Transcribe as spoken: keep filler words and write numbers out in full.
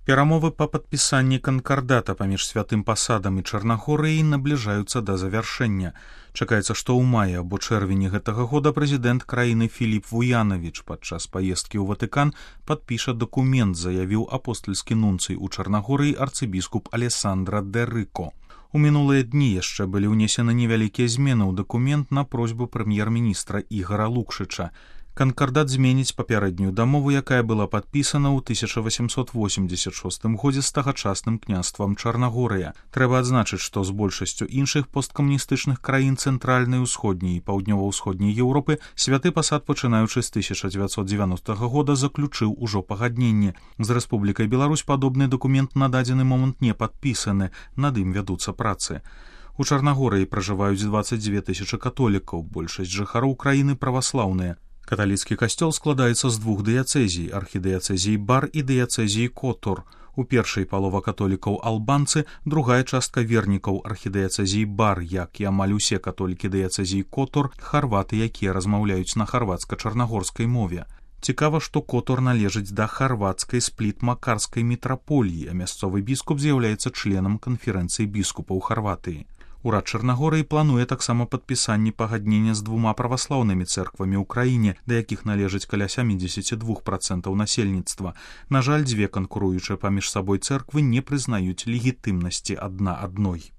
Перамовы па падпісанні канкардата паміж святым пасадам і Чарнагорыяй набліжаюцца да завяршэння. Чакаецца, што ў маі або чэрвені гэтага года прэзідэнт краіны Філіп Вуянавіч падчас паездкі ў Ватыкан падпіша дакумент, заявіў апостальскі нунцый у Чарнагорыі арцыбіскуп Алесандра де Рыко. У мінулыя дні яшчэ былі ўнесены невялікія змены ў дакумент на просьбу прэм'ер-міністра Ігара Лукшыча. Канкардат зменіць папярэднюю дамову, якая была падпісана ў тысяча васемсот восемьдесят шостым годзе з тагачасным княствам Чарнагорыя. Трэба адзначыць, што з большасцю іншых посткамуністычных краін цэнтральнай, усходняй і паўднёва-ўсходняй Еўропы святы пасад, пачынаючы з тысяча дзевяцьсот дзевяностага года, заключыў ужо пагадненне. З Рэспублікай Беларусь падобны дакумент на дадзены момант не падпісаны, над ім вядуцца працы. У Чарнагорыі пражываюць дваццаць дзве тысячы католікаў, большасць жыхароў краіны праваслаўныя. Каталіцкі касцёл складаецца з двух дыяцэзій, архідыяцэзіі Бар і дыяцэзіі Котор. У першай палова католікаў албанцы, другая частка вернікаў архідыяцэзіі Бар, як і амаль усе католікі дыяцэзіі Котор, харваты, якія размаўляюць на харвацка-чарнагорскай мове. Цікава, што Котор належыць да харвацкай спліт-макарскай мітраполіі, а мясцовы біскуп з'яўляецца членам канферэнцыі біскупаў Харватыі. Урад Чарнагорыі плануе таксама падпісанне пагаднення з двума праваслаўнымі цэрквамі ў краіне, да якіх належыць каля сямдзесят два проценты насельніцтва. На жаль, дзве канкуруючыя паміж сабой цэрквы не прызнаюць легітымнасці адна адной.